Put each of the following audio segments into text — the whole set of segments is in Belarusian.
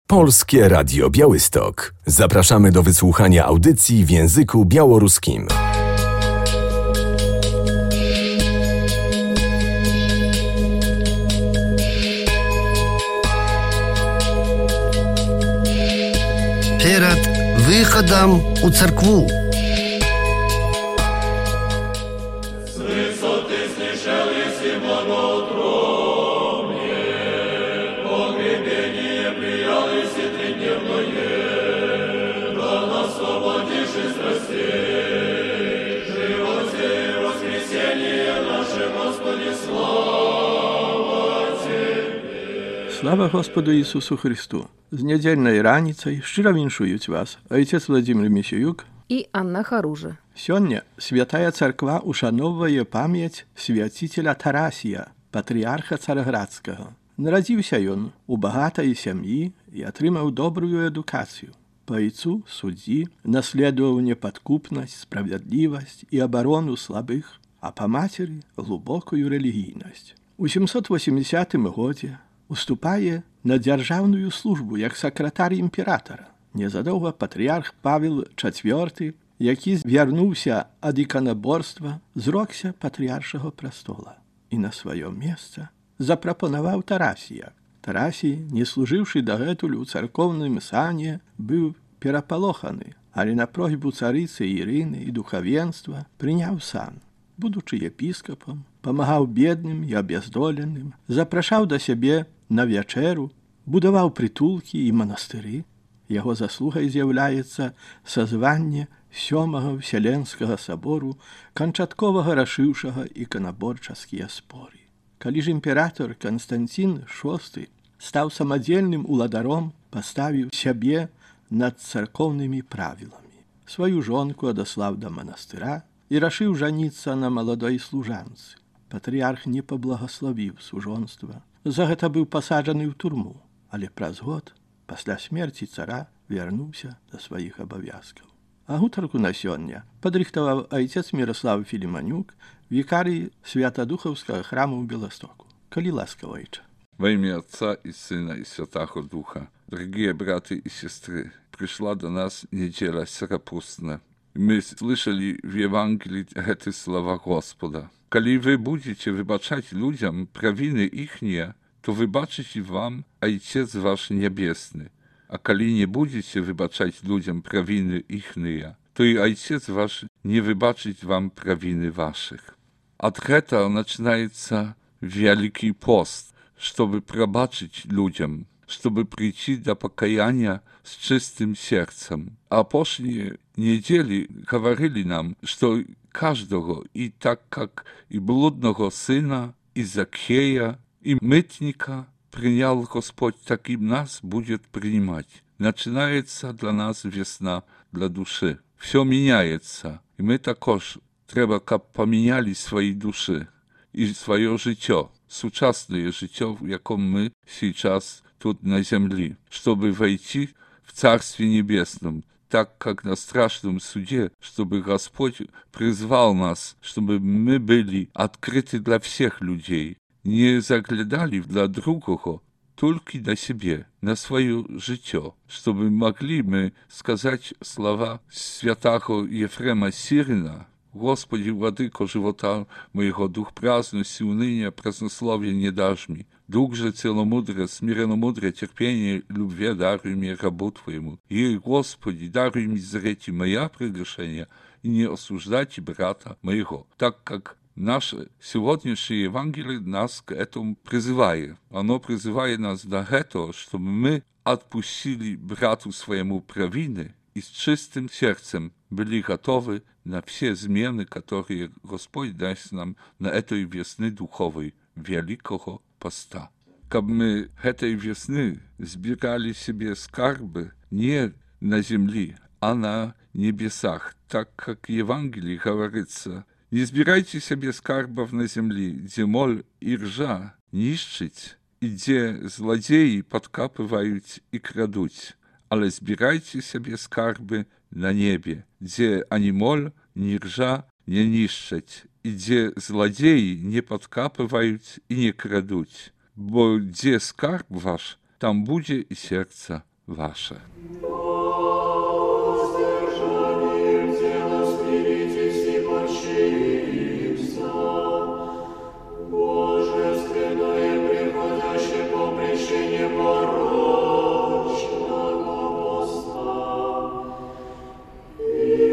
Polskie Radio Białystok. Zapraszamy do wysłuchania audycji w języku białoruskim. Перед выходом у церкву. Слава Господу Ісусу Христу! З недельной раніцай шчыра віншуюць вас отец Владимир Місіюк і Анна Харужа. Сёння Святая Царква ушаноўвае памяць свяціцеля Тарасія, патрыарха Цараградскага. Нарадзіўся ён у багатай сям'і і атрымаў добрую адукацыю. Па айцу суддзі наследаваў непадкупнасць, справядлівасць і абарону слабых, а па мацеры глубокую рэлігійнасць. У 780 годзе уступае на дзяржаўную службу як сакратар імператара. Незадоўга патрыарх Павел IV, які звярнуўся ад іканаборства, зрокся патрыаршага прастола і на сваё месца запрапанаваў Тарасія. Тарасій, не служыўшы дагэтуль у царкоўным сане, быў перапалоханы, але на просьбу царыцы Ірыны і духавенства прыняў сан. Будучы епіскапам, памагаў бедным і абяздоленым, запрашаў да сябе на вячэру, будаваў прытулкі і манастыры. Яго заслугай з'яўляецца сазванне Сёмага Вселенскага сабору, канчаткова рашыўшага іканаборчаскія споры. Калі ж імператор Канстанцін VI стаў самадзельным уладаром, паставіў сябе над царкоўнымі правіламі. Сваю жонку адаслаў да манастыра і рашыў жаніцца на маладой служанцы. Патрыарх не паблагаславіў сужонства. За гэта быў пасаджаны ў турму, але праз год, пасля смерці цара, вярнуўся да сваіх абавязкаў. А гутарку на сёння падрыхтаваў айцец Міраслав Філіманюк, вікарый Святадухаўскага храму ў Беластоку. Калі ласка, ойча. Во имя Отца и Сына и Святаго Духа. Дорогие братья и сестры, пришла до нас неделя скоропустная. Мы слышали в Евангелии эти слова Господа. Коли вы будете выбачать людям провины ихние, то выбачите вам Отец ваш Небесный. А коли не будете выбачать людям провины ихние, то и Отец ваш не выбачит вам провины ваших. От этого начинается Великий пост, чтобы пробачить людям, чтобы прийти до покаяния с чистым сердцем. А прошлые недели говорили нам, что каждого, и так как и блудного сына, и Закхея, и мытника принял Господь, так и нас будет принимать. Начинается для нас весна, для души. Все меняется, и мы також треба, как поменяли свои души и свое життя, сучасное життя, в яком мы сейчас тут на земле, чтобы войти в Царстве Небесном, так как на страшном суде, чтобы Господь призвал нас, чтобы мы были открыты для всех людей, не заглядали для другого, только на себе, на свое життя, чтобы могли мы сказать слова святого Ефрема Сирина: Господи, владыко живота моего, дух праздности, уныния, празднословия не дашь мне. Дух же целомудрия, смиренномудрия, терпения, любви даруй мне рабу Твоему. И, Господи, даруй мне зреть моя прегрешения и не осуждать брата моего, так как наше сегодняшнее Евангелие нас к этому призывает. Оно призывает нас до этого, чтобы мы отпустили брату своему провины и с чистым сердцем были готовы на все змены, которые Господь даст нам на этой весны духовой, великого поста. Как мы этой весны сбирали себе скарбы не на земле, а на небесах, так как в Евангелии говорится: не сбирайте себе скарбов на земле, где моль и ржа нищить, и где злодеи подкапывают и крадут, але збирайте себе скарби на небе, где ani моль, ни ржа не нищать, и где злодеи не подкапывают и не крадут. Бо где скарб ваш, там буде и сердце wasze. I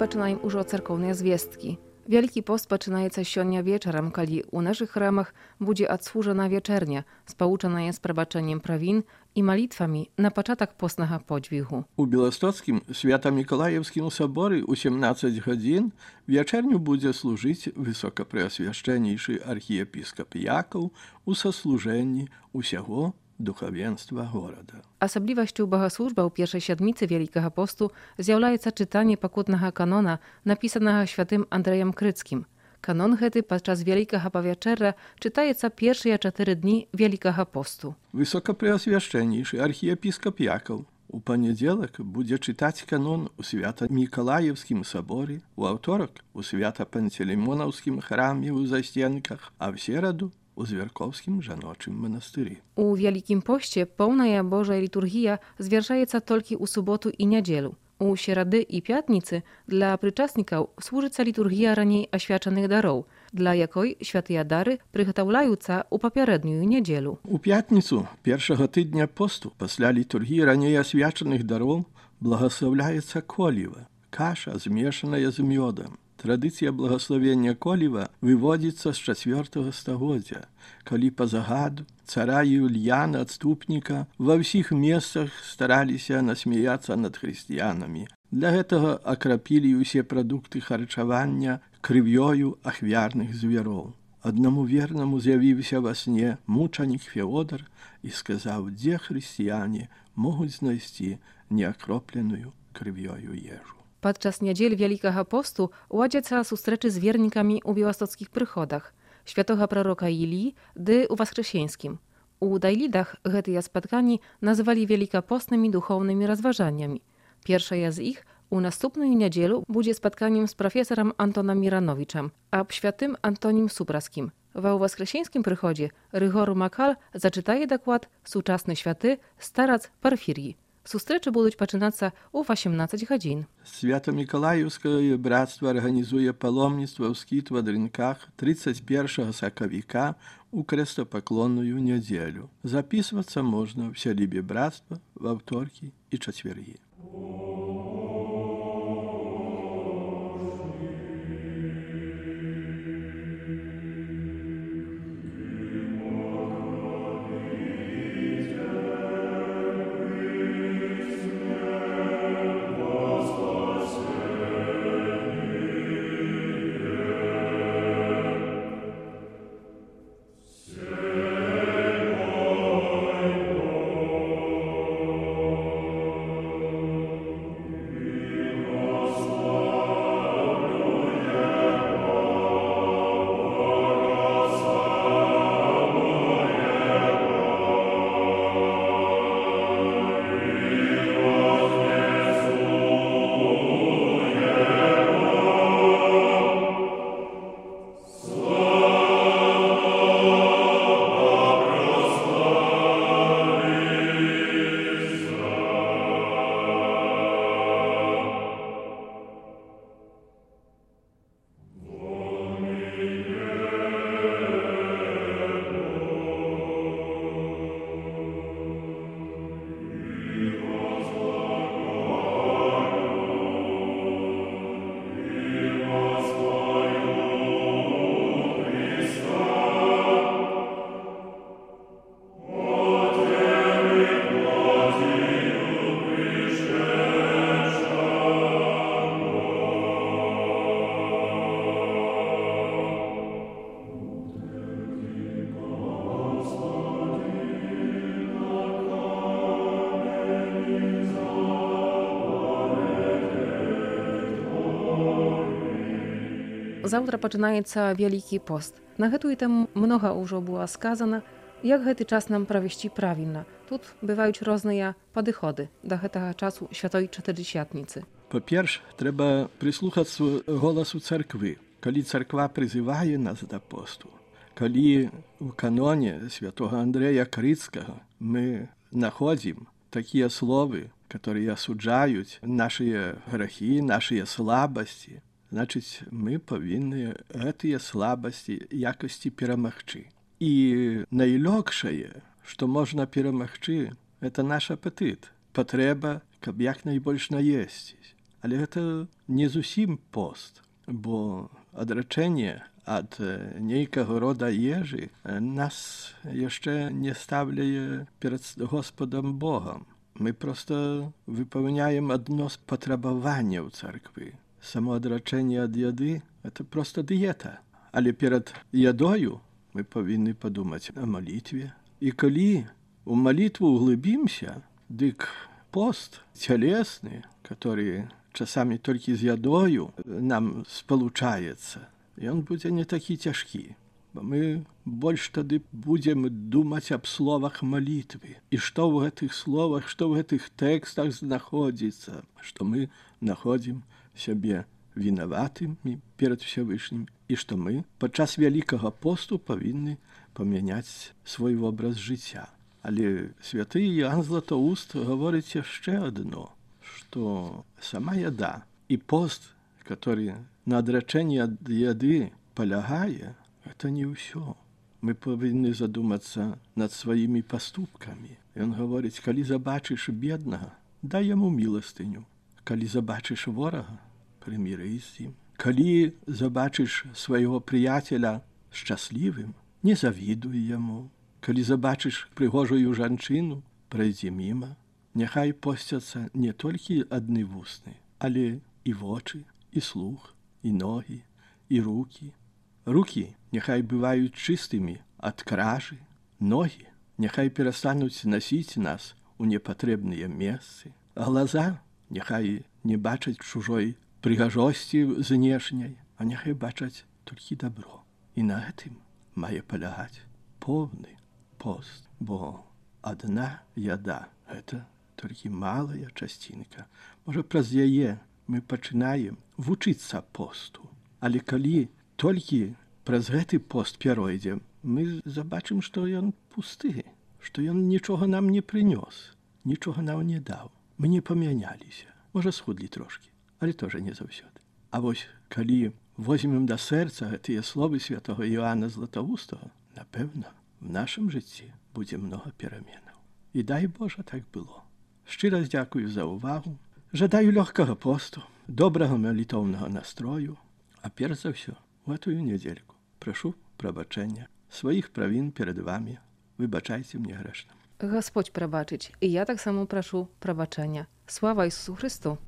пачынаем ужо царкоўныя звесткі. Вялікі пост пачынаецца сёння вечарам, калі ў нашых храмах будзе адслужана вечэрня, спалучаная з прабачэннем правін і малітвамі на пачатак постнага подзвігу. У Беластоцкім Свята-Мікалаевскім саборы ў 17 гадзін вечерню будзе служыць высокапрэасвяшчэннейшы архіепіскап Якаў у саслужэнні ўсяго духавенства горада. Асаблівасцю багаслужба ў першай сядміцы Вялікага посту з'яўляецца чытанне пакутнага канона, напісанага святым Андрэем Крыцкім. Канон гэты падчас Вялікага павячэрра чытаецца першыя 4 дні Вялікага посту. Высокапрэасвяшчэннейшы архіепіскап Якаў у панядзелак будзе чытаць канон у Свята-Мікалаевскім саборы, у аўторак у Свята-Пантелеймонаўскім храме ў Засценках, а в сераду у Звяркоўскім жаночым манастыры. У Вялікім посце поўная Божая літургія звяршаецца толькі ў суботу і нядзелю. У серады і пятніцы для прычаснікаў служыцца літургія раней асвячаных дароў, для якой святыя дары прыгатаўляюцца ў папярэднюю нядзелю. У пятніцу першага тыдня посту пасля літургіі раней асвячаных дароў благаслаўляецца коліва, каша, змешаная з мёдам. Традыцыя благаславення коліва выводзіцца з 4 стагоддзя, калі па загаду цара Юльяна Адступніка ва ўсіх месцах стараліся насмяяцца над хрысціянамі. Для гэтага акрапілі ўсе прадукты харчавання крывёю ахвярных звяроў. Аднаму вернаму з'явіўся во сне мучанік Феодар і сказаў, дзе хрысціяне могуць знайсці неакропленую крывёю ежу. Падчас нядзель Вялікага посту ладзяцца сустрэчы з вернікамі ў беластоцкіх прыходах, святога прарока Ілі ды ў Васкрасенскім. У Дайлідах гэтыя спатканні назвалі велікапостнымі духоўнымі разважаннямі. Першая з іх у наступную нядзелю будзе спатканнем з прафесарам Антонам Міранowичам аб святым Антонім Супраскім. Ва ў Васкрасенскім прыходзе Рыгору Макал зачытае даклад сучасны святы старац Парфір'і. Сустрэчы будуць пачынацца ў 18 гадзін. Свята-Мікалаеўскае брацтва арганізуе паломніцтва ў скіт в Адрынках 31 сакавіка у крэстапаклонную нядзелю. Запісвацца можна ў сялібе брацтва ва ўторкі і чацвергі. Заўтра пачынаецца Вялікі пост. На гэтую тэму многа ўжо было сказана, як гэты час нам правесці правільна. Тут бываюць розныя падыходы да гэтага часу Святой Чатырдзесятніцы. Па-перш, трэба прыслухацца голасу царквы. Калі царква прызывае нас да посту, калі у каноне святого Андрэя Крыцкага мы находзім такія словы, которые асуджаюць нашыя грахі, нашыя слабасці, значыць, мы павінны гэтыя слабасці якасці перамагчы. І найлёгшае, што можна перамагчы, это наш апетыт, патрэба, каб як найбольш наесціць. Але гэта не зусім пост, бо адрачэнне ад нейкага рода ежы нас яшчэ не ставляе перад Господам Богам. Мы проста выпаўняем адно з патрабаванняў царквы. Самоадрачэнне ад яды – это проста дыета. Але перад ядою мы павінны падумаць о малітве. І калі у малітву углыбімся, дык пост цялесны, который часамі толькі з ядою нам спалучаецца, ён будзе не такі цяжкі. Бо мы больш тады будзем думаць аб словах малітвы. І што ў гэтых словах, што ў гэтых тэкстах знаходзіцца, што мы находзім сябе вінаватымі перад Всевышнім і што мы падчас Вялікага посту павінны памяняць свой вобраз жыцця. Але святы Іоанн Златоуст гаворыць яшчэ адно, што сама яда і пост, который на адрачэнні ад яды палягае, это не ўсё. Мы павінны задумацца над сваімі паступкамі. Ён гаворыць, калі забачыш беднага, дай яму міластыню. Калі забачыш ворага, прыміры з ім. Калі забачыш свайго прыяцеля шчаслівым, не завідуй яму. Калі забачыш прыгожую жанчыну, прайдзі міма. Няхай посцяцца не толькі адны вусны, але і вочы, і слух, і ногі, і рукі. Рукі няхай бываюць чыстымі ад кражы, ногі няхай перастануць насіць нас у непатрэбныя месцы, глаза няхай не бачаць чужой прыгажосці знешняй, а няхай бачаць толькі дабро. І на гэтым мае палягаць поўны пост, бо адна яда – гэта толькі малая часцінка. Можа, праз яе мы пачынаем вучыцца посту, але калі толькі праз гэты пост перайдзем, мы забачым, што ён пусты, што ён нічога нам не прынёс, нічога нам не даў. Мы не памяняліся. Можа, схудлі трошкі, але тоже не заўсёды. А вось, калі возьмем да сэрца гэтыя словы святого Іоанна Златоустага, напэўна, в нашым жыцці будзе многа пераменаў. І дай Божа, так было. Шчыра дзякую за ўвагу. Жадаю лёгкага посту, добрага малітоўнага настрою, а перш за ўсё, у гэтую нядзельку прашу прабачэння сваіх правін перад вамі. Выбачайце мне грэшным. Гасподź прабачыць, і я таксама прашу прабачэння. Слава Ісусу Христу!